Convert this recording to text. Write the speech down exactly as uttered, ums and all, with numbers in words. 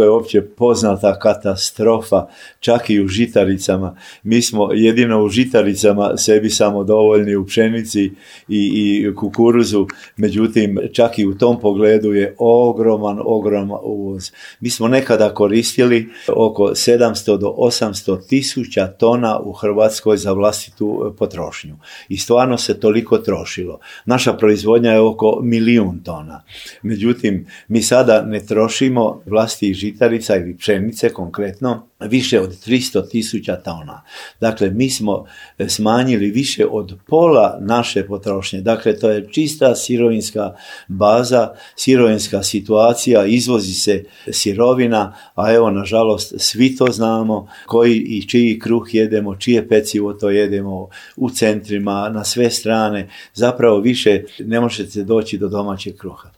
to je opće poznata katastrofa, čak i u žitaricama. Mi smo jedino u žitaricama sebi samodovoljni, u pšenici i, i kukuruzu, međutim čak i u tom pogledu je ogroman, ogroman uvoz. Mi smo nekada koristili oko sedamsto do osamsto tisuća tona u Hrvatskoj za vlastitu potrošnju i stvarno se toliko trošilo. Naša proizvodnja je oko milijun tona. Međutim, mi sada ne trošimo vlastitih žitarica ili pšenice konkretno više od tristo tisuća tona. Dakle, mi smo smanjili više od pola naše potrošnje. Dakle, to je čista sirovinska baza, sirovinska situacija, izvozi se sirovina, a evo, nažalost, svi to znamo, koji i čiji kruh jedemo, čije pecivo to jedemo u centrima, na sve strane. Zapravo više ne možete doći do domaćeg kruha.